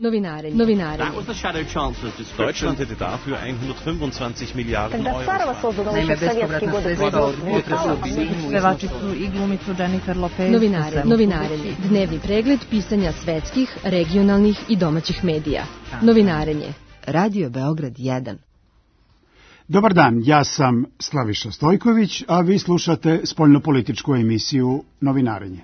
Novinarenje. Deutschland hätte dafür 125 Miliarden Euro. Naime, bespovratna sredstva od potresa u Sinju. Pevačicu i glumicu Jennifer Lopez. Novinarenje. Dnevni pregled pisanja svetskih, regionalnih i domaćih medija. Novinarenje. Radio Beograd 1. Dobar dan, ja sam Slaviša Stojković, a vi slušate spoljnopolitičku emisiju Novinarenje.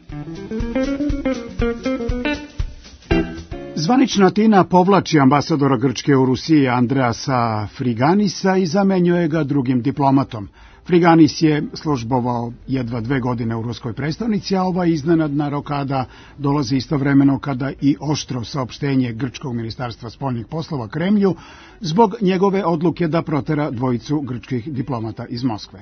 Zvanična Atina povlači ambasadora Grčke u Rusiji Andreasa Friganisa i zamenjuje ga drugim diplomatom. Friganis je službovao jedva 2 godine u ruskoj prestonici, a ova iznenadna rokada dolazi istovremeno kada i oštro saopštenje Grčkog ministarstva spoljnih poslova Kremlju zbog njegove odluke da protera dvojicu grčkih diplomata iz Moskve.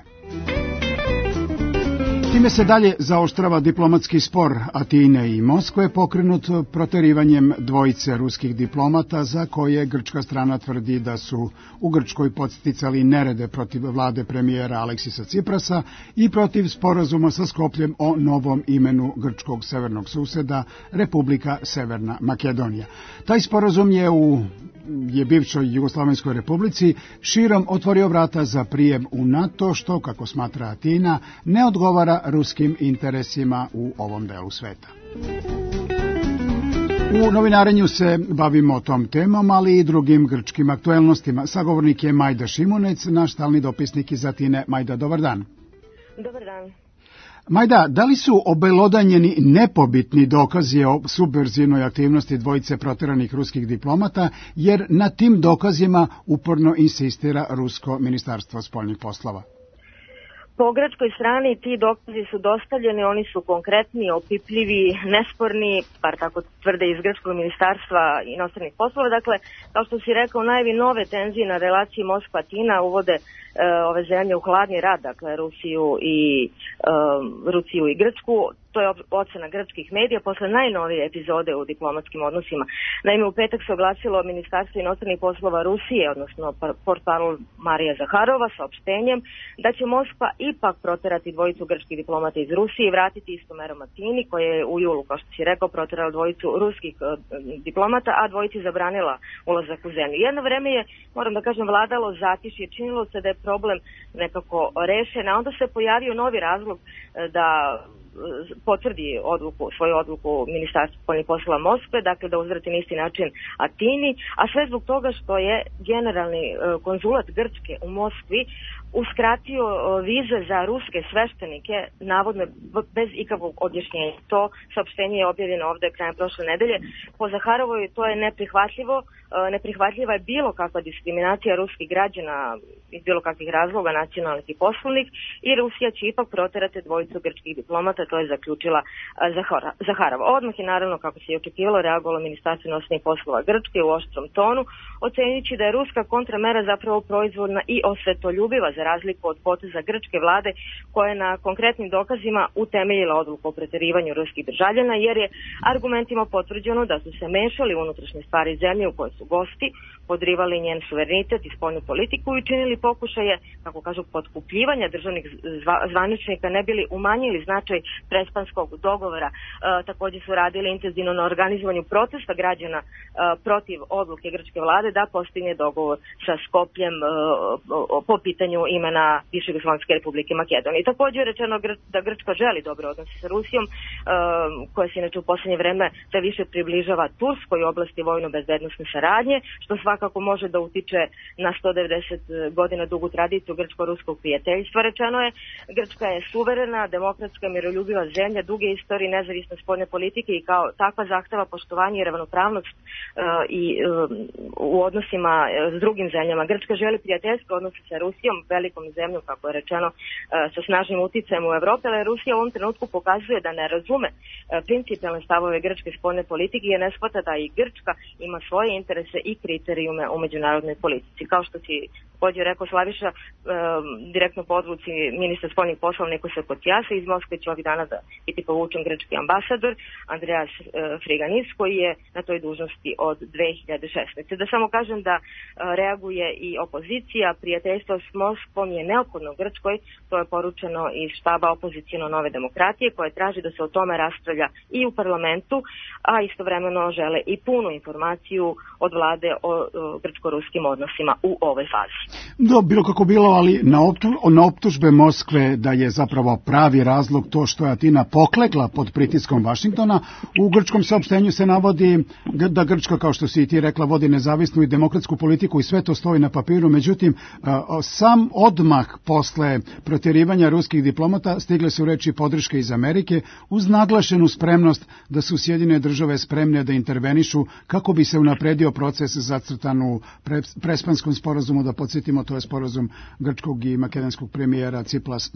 Time se dalje zaoštrava diplomatski spor Atine i Moskve pokrenut proterivanjem dvojice ruskih diplomata za koje grčka strana tvrdi da su u Grčkoj podsticali nerede protiv vlade premijera Aleksisa Ciprasa i protiv sporazuma sa Skopljem o novom imenu grčkog severnog suseda Republika Severna Makedonija. Taj sporazum je bivšoj Jugoslavenskoj republici širom otvorio vrata za prijem u NATO, što, kako smatra Atina, ne odgovara ruskim interesima u ovom delu sveta. U novinarenju se bavimo tom temom, ali i drugim grčkim aktuelnostima. Sagovornik je Majda Šimunec, naš stalni dopisnik iz Atine. Majda, dobar dan. Dobar dan. Majda, da li su obelodanjeni nepobitni dokazi o subverzivnoj aktivnosti dvojice proteranih ruskih diplomata, jer na tim dokazima uporno insistira Rusko ministarstvo spoljnih poslova? Po grčkoj strani ti dokazi su dostavljeni, oni su konkretni, opipljivi, nesporni, bar tako tvrde iz grčkog ministarstva inostranih poslova. Dakle, kao što si rekao, najavi nove tenzije na relaciji Moskva-Atina uvode ove zemlje u hladni rat, dakle Rusiju i Grčku. To je ocena grčkih medija posle najnovije epizode u diplomatskim odnosima. Naime, u petak se oglasilo Ministarstvo inostranih poslova Rusije, odnosno portparol Marija Zaharova, saopštenjem da će Moskva ipak proterati dvojicu grčkih diplomata iz Rusije i vratiti istom merom Atini, koja je u julu, kao što si rekao, proterala dvojicu ruskih diplomata, a dvojici zabranila ulazak u zemlju. Jedno vreme je, moram da kažem, vladalo zatišje, činilo se da je problem nekako rešen, a onda se pojavio novi razlog da potvrdi svoju odluku Ministarstva spoljnih poslova Moskve, dakle da uzvrati na isti način Atini, a sve zbog toga što je generalni konzulat Grčke u Moskvi uskratio vize za ruske sveštenike, navodno bez ikakvog objašnjenja. To saopštenje je objavljeno ovde krajem prošle nedelje. Po Zaharovoj to je neprihvatljivo. Neprihvatljiva je bilo kakva diskriminacija ruskih građana iz bilo kakvih razloga, nacionalnih i poslovnih, i Rusija će ipak proterati dvojicu grčkih diplomata, to je zaključila Zaharova. Odmah je, naravno, kako se i očekivalo, reagovalo Ministarstvo inostranih poslova Grčke u oštrom tonu, ocenjujući da je ruska kontramera zapravo proizvodna i osvetoljubiva, za razliku od poteza grčke vlade koja je na konkretnim dokazima utemeljila odluku o preterivanju ruskih državljana, jer je argumentima potvrđeno da su se mešali u unutrašnje stvari zemlje u kojoj su gosti, podrivali njen suverenitet i spoljnu politiku i činili pokušaje, kako kažu, potkupljivanja državnih zvaničnika, ne bili umanjili značaj prespanskog dogovora. Također su radili intenzivno na organizovanju protesta građana protiv odluke grčke vlade da postigne dogovor sa Skopljem po pitanju imena bivše Jugoslovenske republike Makedonije. Također je rečeno da Grčka želi dobre odnose sa Rusijom, koja se inače u poslednje vreme sve više približava Turskoj oblasti vojno-bezbednosne saradnje, što svakako može da utiče na 190 godina dugu tradiciju grčko-ruskog prijateljstva. Rečeno je, Grčka je suverena, demokratska, miroljubiva zemlja, duge istorije nezavisne spoljne politike i kao takva zahteva poštovanje i ravnopravnost i u odnosima s drugim zemljama. Grčka želi prijateljske odnose sa Rusijom, velikom zemljom, kako je rečeno, sa snažnim uticajem u Evropi, ali Rusija u ovom trenutku pokazuje da ne razume principijalne stavove grčke spoljne politike i ne shvata da i Grčka ima svoje interese i kriterijume u međunarodnoj politici. Kao što si također rekao Slaviša, direktno po odluci ministra spoljnih poslova Nikose Kociasa, iz Moskve će ovih dana da biti povučen grčki ambasador Andreas Friganis, koji je na toj dužnosti od 2016. Da samo kažem da reaguje i opozicija, prijateljstvo s Moskvom je neophodno Grčkoj, to je poručeno iz štaba opozicijno Nove demokratije, koje traži da se o tome raspravlja i u parlamentu, a istovremeno žele i punu informaciju od vlade o grčko-ruskim odnosima u ovoj fazi. Bilo kako bilo, ali na optužbe Moskve da je zapravo pravi razlog to što je Atina poklekla pod pritiskom Vašingtona, u grčkom saopštenju se navodi da Grčka, kao što si i ti rekla, vodi nezavisnu i demokratsku politiku i sve to stoji na papiru. Međutim, sam odmah posle protjerivanja ruskih diplomata stigle su reči podrške iz Amerike uz naglašenu spremnost da su Sjedinjene države spremne da intervenišu kako bi se unapredio proces zacrtan u Prespanskom sporazumu. Da podsjetimo, to je sporazum grčkog i makedonskog premijera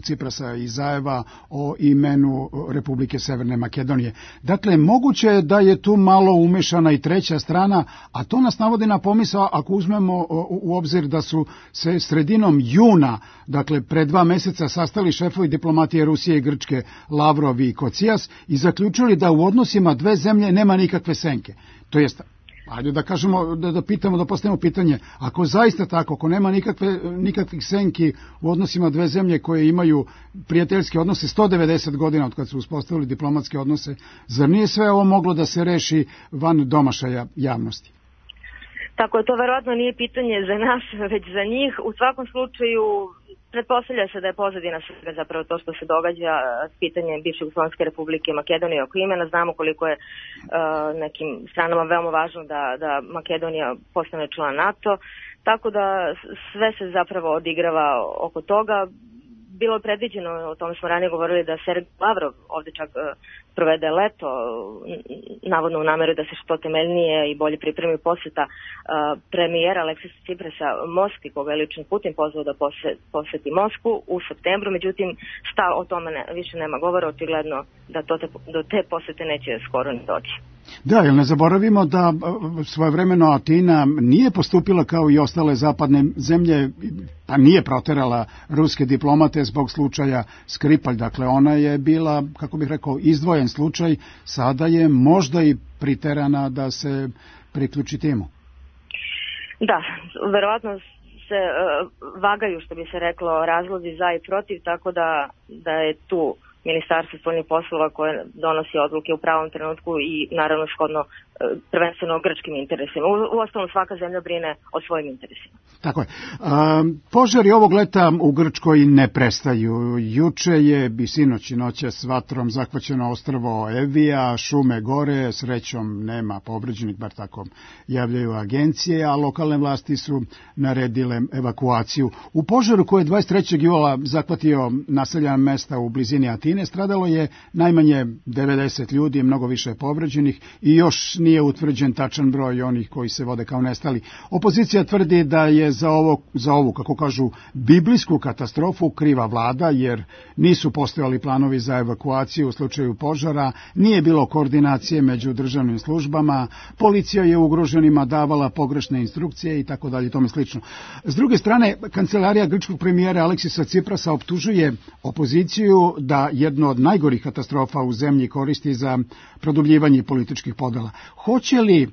Ciprasa i Zajeva o imenu Republike Severne Makedonije. Dakle, moguće je da je tu malo umešana i treća strana, a to nas navodi na pomisao ako uzmemo u obzir da su se sredinom juna, dakle pred 2 meseca, sastali šefovi diplomatije Rusije i Grčke Lavrov i Kocijas i zaključili da u odnosima dve zemlje nema nikakve senke. To jest, ajde da kažemo, da pitamo, da postavimo pitanje, ako zaista tako, ako nema nikakvih senki u odnosima dve zemlje koje imaju prijateljske odnose 190 godina od kad su uspostavili diplomatske odnose, zar nije sve ovo moglo da se reši van domašaja javnosti? Tako je, to verovatno nije pitanje za nas, već za njih. U svakom slučaju, pretpostavlja se da je pozadina svega zapravo to što se događa s pitanjem bivše Jugoslovenske republike Makedonije oko imena. Znamo koliko je nekim stranama veoma važno da Makedonija postane član NATO, tako da sve se zapravo odigrava oko toga. Bilo je predviđeno, o tome smo ranije govorili, da Sergej Lavrov ovde čak provede leto, navodno u nameru da se što temeljnije i bolje pripremi poseta premijera Aleksisa Ciprasa Moskvi, koga je lično Putin pozvao da poseti Moskvu u septembru. Međutim, o tome više nema govora, očigledno da do te posete neće skoro ni doći. Da, jer ne zaboravimo da svojevremeno Atina nije postupila kao i ostale zapadne zemlje, pa nije proterala ruske diplomate zbog slučaja Skripalj. Dakle, ona je bila, kako bih rekao, izdvojen slučaj, sada je možda i priterana da se priključi timu. Da, verovatno se vagaju, što bi se reklo, razlozi za i protiv, tako da je tu Ministarstvo spoljnih poslova koje donosi odluke u pravom trenutku i naravno shodno prvenstveno grčkim interesima. Uostalom, svaka zemlja brine o svojim interesima. Tako je. Požari ovog leta u Grčkoj ne prestaju. Juče je i sinoć i noćas vatrom zahvaćeno ostrvo Evija, šume gore, srećom nema povređenih, bar tako javljaju agencije, a lokalne vlasti su naredile evakuaciju. U požaru koji je 23. jula zahvatio naseljena mesta u blizini Atine, stradalo je najmanje 90 ljudi, mnogo više povređenih i još nije utvrđen tačan broj onih koji se vode kao nestali. Opozicija tvrdi da je za ovu, kako kažu, biblijsku katastrofu kriva vlada, jer nisu postojali planovi za evakuaciju u slučaju požara, nije bilo koordinacije među državnim službama, policija je ugroženima davala pogrešne instrukcije i tako dalje, tome slično. S druge strane, kancelarija grčkog premijera Aleksisa Ciprasa optužuje opoziciju da jedno od najgorih katastrofa u zemlji koristi za produbljivanje političkih podela. Hoće li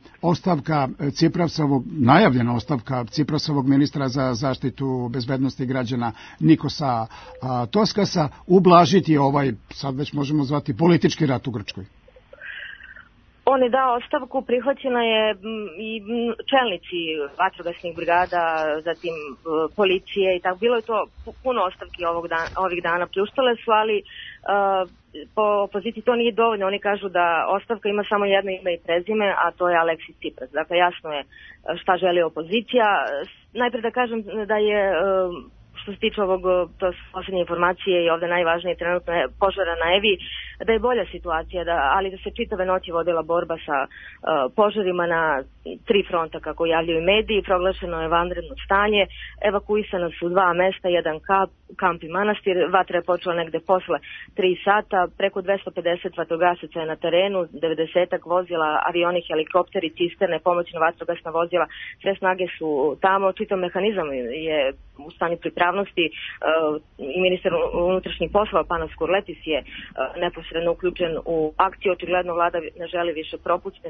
najavljena ostavka Ciprasovog ministra za zaštitu bezbednosti građana Nikosa Toskasa ublažiti ovaj, sad već možemo zvati, politički rat u Grčkoj? On je dao ostavku, prihvaćena je i čelnici vatrogasnih brigada, zatim policije i tako. Bilo je to puno ostavki ovih dana, pljuštale su, ali po opoziciji to nije dovoljno. Oni kažu da ostavka ima samo jedno ime i prezime, a to je Aleksis Tsipras. Dakle, jasno je šta želi opozicija. Najprej da kažem da je, što se tiče ovog, to su posljednje informacije i ovde najvažnije trenutno je požara na Evi, da je bolja situacija, ali da se čitave noći vodila borba sa požarima na 3 fronta, kako javljaju mediji, proglašeno je vanredno stanje, evakuisana su 2 mesta, jedan kamp i manastir, vatra je počela negde posle 3 sata, preko 250 vatrogasaca je na terenu, 90 vozila, avioni, helikopteri, cisterne, pomoćna vatrogasna vozila, sve snage su tamo, čitav mehanizam je u stanju pripravnosti i ministar unutrašnjih poslova Panos Kurletis je neposredno uključen u akciju. Očigledno vlada ne želi više propustiti,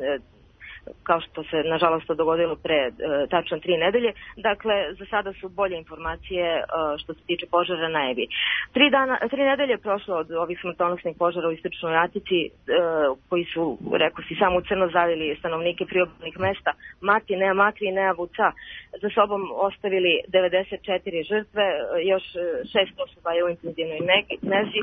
kao što se nažalost to dogodilo pre tačno 3 nedelje. Dakle, za sada su bolje informacije što se tiče požara na Evi. 3 nedelje je prošlo od ovih smrtonosnih požara u Istočnoj Atici, koji su, rekao si, samo u crno zavili stanovnike priobalnih mesta. Mati, Nea Makri i Nea Vuca za sobom ostavili 94 žrtve, još 6 osoba je u intenzivnoj nezi.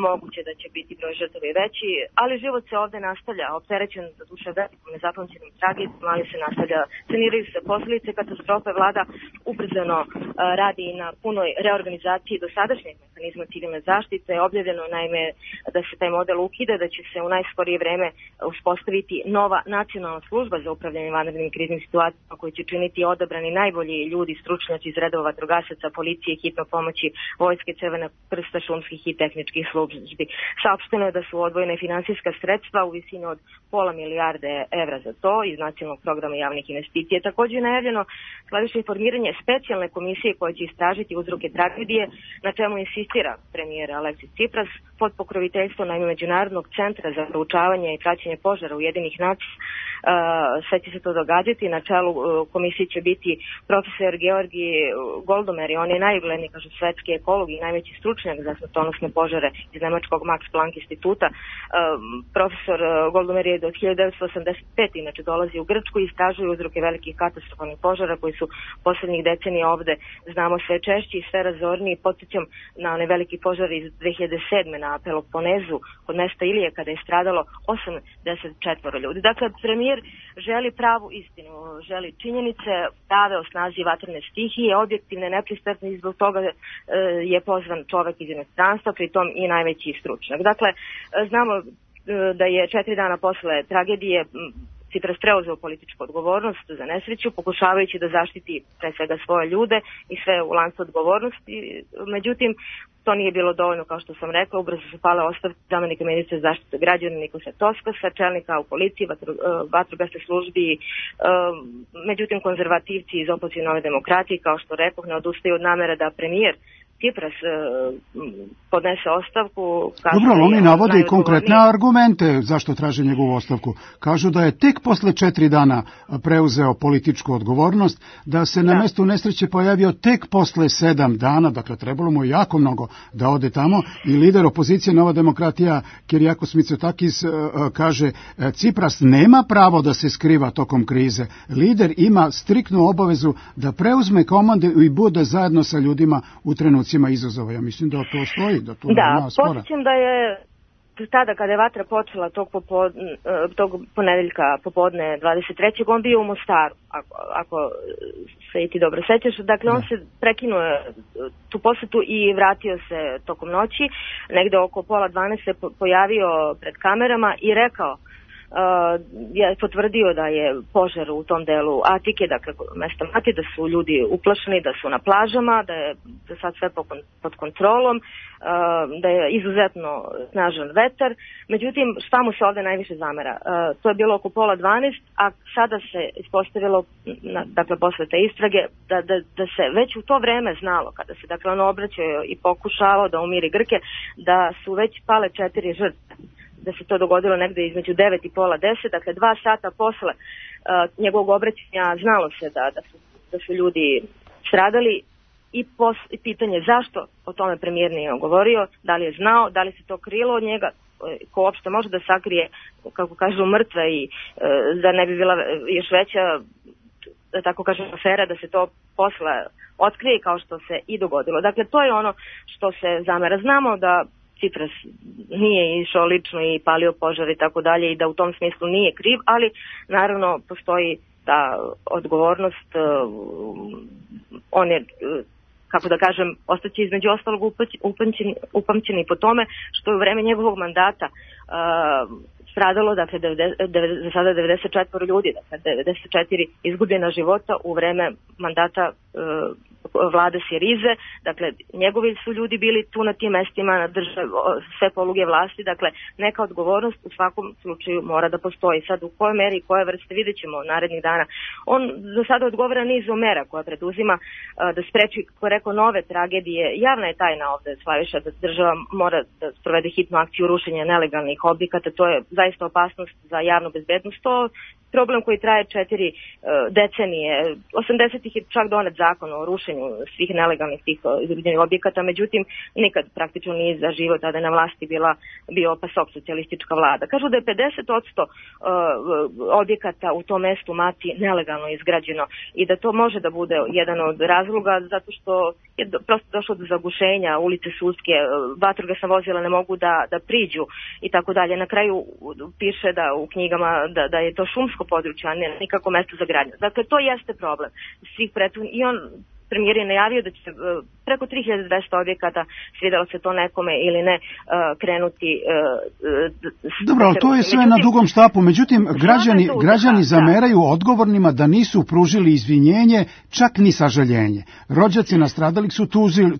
Moguće da će biti broj žrtava i veći, ali život se ovde nastavlja, opterećen za duše velikom nezapamćenim tragedijom, ali se nastavlja, saniraju se posljedice katastrofe, vlada ubrzano radi na punoj reorganizaciji dosadašnjeg mehanizma civilne zaštite. Objavljeno naime da se taj model ukida, da će se u najskorije vreme uspostaviti nova nacionalna služba za upravljanje vanrednim kriznim situacijama koji će činiti odabrani najbolji ljudi, stručnjaci iz redova vatrogasaca, policije, hitno pomoći, vojske, Crvenog krsta, šumskih i tehničkih službi. Saopšteno je da su odvojene finansijska sredstva u visini od pola milijarde evra za to iz nacionalnog programa javnih investicija. Također je najavljeno sledeće formiranje specijalne komisije koja će istražiti uzroke tragedije, na čemu insistira premijer Aleksis Cipras pod pokroviteljstvom Međunarodnog centra za proučavanje i praćenje požara Ujedinjenih nacija. Sve će se to događati. Na čelu komisije će biti profesor Georgi Goldomer, on je najugledniji, kažu, svetski ekolog i najveći stručnjak za smrtonosne požare iz nemačkog Max Planck instituta. Profesor Goldomer je do 1985. inače dolazi u Grčku i istražuje uzroke velikih katastrofalnih požara koji su poslednjih decenija ovde, znamo, sve češći i sve razorniji. Podsjećam na one veliki požar iz 2007. na Peloponezu kod mesta Ilije kada je stradalo 84 ljudi. Dakle, premijer želi pravu istinu, želi činjenice, prave o snazi vatrene stihije, objektivne, nepristrasne, i zbog toga je pozvan čovek iz inostranstva, pritom i najveći stručnjak. Dakle, znamo da je 4 dana posle tragedije Cipras preuzeo političku odgovornost za nesreću, pokušavajući da zaštiti pre svega svoje ljude i sve u lancu odgovornosti. Međutim, to nije bilo dovoljno, kao što sam rekla. Ubrzo su pale ostavke zamenika ministra zaštite građana Nikosa Toskasa, čelnika u policiji, vatrogasnoj službi. Međutim, konzervativci iz opozicije Nove demokratije, kao što rekoh, ne odustaju od namera da premijer Cipras podnese ostavku. Dobro, oni navode i konkretne argumente zašto traže njegovu ostavku. Kažu da je tek posle 4 dana preuzeo političku odgovornost, da se na mestu nesreće pojavio tek posle 7 dana, dakle trebalo mu jako mnogo da ode tamo, i lider opozicije Nova demokratija Kyriakos Mitsotakis kaže Cipras nema pravo da se skriva tokom krize. Lider ima striktnu obavezu da preuzme komande i bude zajedno sa ljudima u trenucima izazova. Ja mislim da to stoji, da tu nema spora. Podsjećam da je tada kada je vatra počela tog ponedeljka popodne 23. on bio u Mostaru, ako se i ti dobro sećaš. Dakle, on se prekinuo tu posetu i vratio se tokom noći. Negde oko pola 12 se pojavio pred kamerama i rekao, je potvrdio da je požar u tom delu Atike, dakle mesta Mati, da su ljudi uplašeni, da su na plažama, da je sad sve pod kontrolom, da je izuzetno snažan vetar. Međutim, šta mu se ovde najviše zamera? To je bilo oko pola 12, a sada se ispostavilo, dakle posle te istrage, da se već u to vreme znalo, kada se dakle on obraćao i pokušavao da umiri Grke, da su već pale 4 žrtve, da se to dogodilo negde između 9 i pola 10, dakle 2 sata posle njegovog obraćanja znalo se da su ljudi stradali i pitanje zašto o tome premijer nije govorio, da li je znao, da li se to krilo od njega, ko uopšte može da sakrije, kako kažu, mrtve i da ne bi bila još veća, da tako kažem, afera, da se to posle otkrije kao što se i dogodilo. Dakle, to je ono što se zamera. Znamo da Cipras nije išao lično i palio požar i tako dalje i da u tom smislu nije kriv, ali naravno postoji ta odgovornost. On je, kako da kažem, ostaće između ostalog upamćeni po tome što je u vreme njegovog mandata stradalo, dakle, za sada 94 ljudi, dakle, 94 izgubljena života u vreme mandata vlade Sirize, dakle, njegovi su ljudi bili tu na tim mestima, sve poluge vlasti, dakle, neka odgovornost u svakom slučaju mora da postoji. Sad, u kojoj meri i koje vrste vidjet ćemo narednih dana. On za sada odgovara nizom mera koja preduzima da spreči, kako je rekao, nove tragedije. Javna je tajna ovde, Slaviša, da država mora da sprovede hitnu akciju rušenja nelegalnih objekata. To je zaista opasnost za javnu bezbednost. To problem koji traje 4 decenije. 80-ih je čak donet zakon o rušenju svih nelegalnih tih izgrađenih objekata, međutim nikad praktično nije zaživio, tada je na vlasti bio PASOK, socijalistička vlada. Kažu da je 50% objekata u tom mestu Mati nelegalno izgrađeno i da to može da bude jedan od razloga zato što je prosto došlo do zagušenja, ulice Sudske, vatrogasna vozila ne mogu da priđu i tako dalje. Na kraju piše da u knjigama da je to šumsko područje, a ne nikako mesto za gradnju. Dakle, to jeste problem svih prethodnih. I premijer je najavio da će preko 3200 objekata, svidelo se to nekome ili ne, krenuti. Dobro, ali to je sve na dugom štapu. Međutim, građani zameraju odgovornima da nisu pružili izvinjenje, čak ni sažaljenje. Rođaci nastradalih su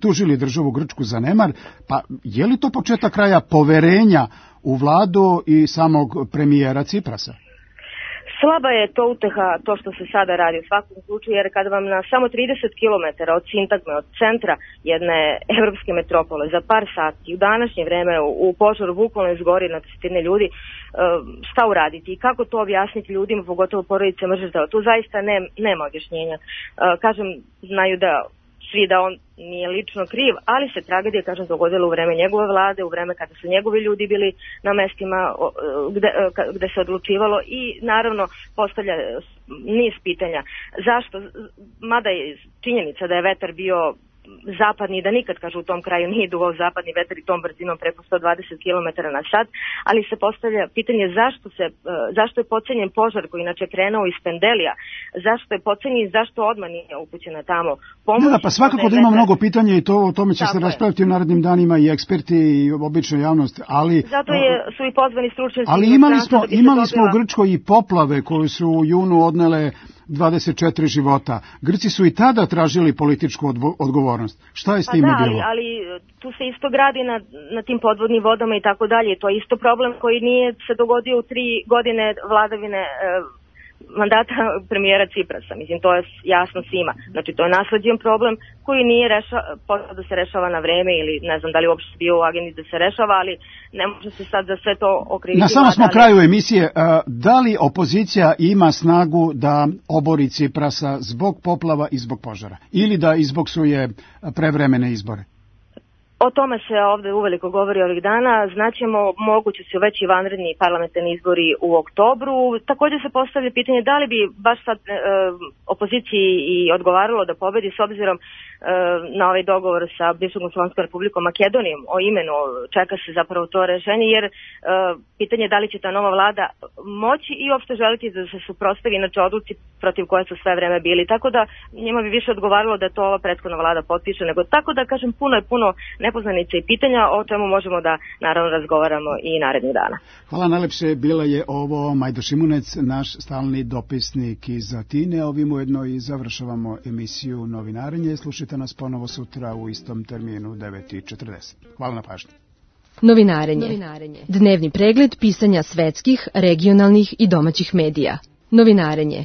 tužili državu Grčku za nemar, pa je li to početak kraja poverenja u vladu i samog premijera Ciprasa? Slaba je to uteha, to što se sada radi u svakom slučaju, jer kada vam na samo 30 km od sintagme, od centra jedne evropske metropole za par sati, u današnje vreme u požaru bukvalno izgori na desetine ljudi, šta uraditi i kako to objasniti ljudima, pogotovo porodice mržitelja. Tu zaista nema objašnjenja. Kažem, znaju da svi da on nije lično kriv, ali se tragedija, kažem, dogodila u vreme njegove vlade, u vreme kada su njegovi ljudi bili na mestima gde se odlučivalo i naravno postavlja niz pitanja. Zašto? Mada je činjenica da je vetar bio zapadni, da nikad, kažu, u tom kraju nije duvao zapadni vetar i tom brzinom preko 120 km na sat, ali se postavlja pitanje zašto je potcenjen požar koji inače krenuo iz Pendelija, zašto je potcenjen i zašto odmah nije upućena tamo pomoć. Da, pa svakako da ima mnogo pitanja i o tome će se raspraviti u narednim danima i eksperti i obična javnost, ali zato su i pozvani stručnjaci. Ali imali smo u Grčkoj i poplave koje su u junu odnele 24 života. Grci su i tada tražili političku odgovornost. Šta je s time bilo? Ali tu se isto gradi na tim podvodnim vodama i tako dalje. To je isto problem koji nije se dogodio u 3 godine vladavine mandata premijera Ciprasa. Mislim, to je jasno svima. Znači, to je nasleđen problem koji nije počeo da se rešava na vreme ili ne znam da li uopšte bio u agendi da se rešava, ali ne može se sad za sve to okriviti. Na samom smo kraju emisije. Da li opozicija ima snagu da obori Ciprasa zbog poplava i zbog požara? Ili da izboksuje prevremene izbore? O tome se ovde uveliko govori ovih dana. Znaćemo, moguće su već i vanredni parlamentarni izbori u oktobru. Također se postavlja pitanje da li bi baš sad opoziciji i odgovaralo da pobedi s obzirom na ovaj dogovor sa bivšom Jugoslovenskom Republikom Makedonijom o imenu. Čeka se zapravo to rešenje, jer pitanje je da li će ta nova vlada moći i uopšte želiti da se suprotstavi inače odluci protiv koje su sve vreme bili. Tako da njima bi više odgovaralo da to ova prethodna vlada potpiše, nego tako da kažem puno nepoznanica i pitanja o čemu možemo da naravno razgovaramo i narednih dana. Hvala najlepše, bila je ovo Majda Šimunec, naš stalni dopisnik iz Atine. Ovim ujedno i završavamo emisiju Novinarenje. Slušajte nas ponovo sutra u istom terminu 9:40. Hvala na pažnji. Novinarenje. Dnevni pregled pisanja svetskih, regionalnih i domaćih medija. Novinarenje.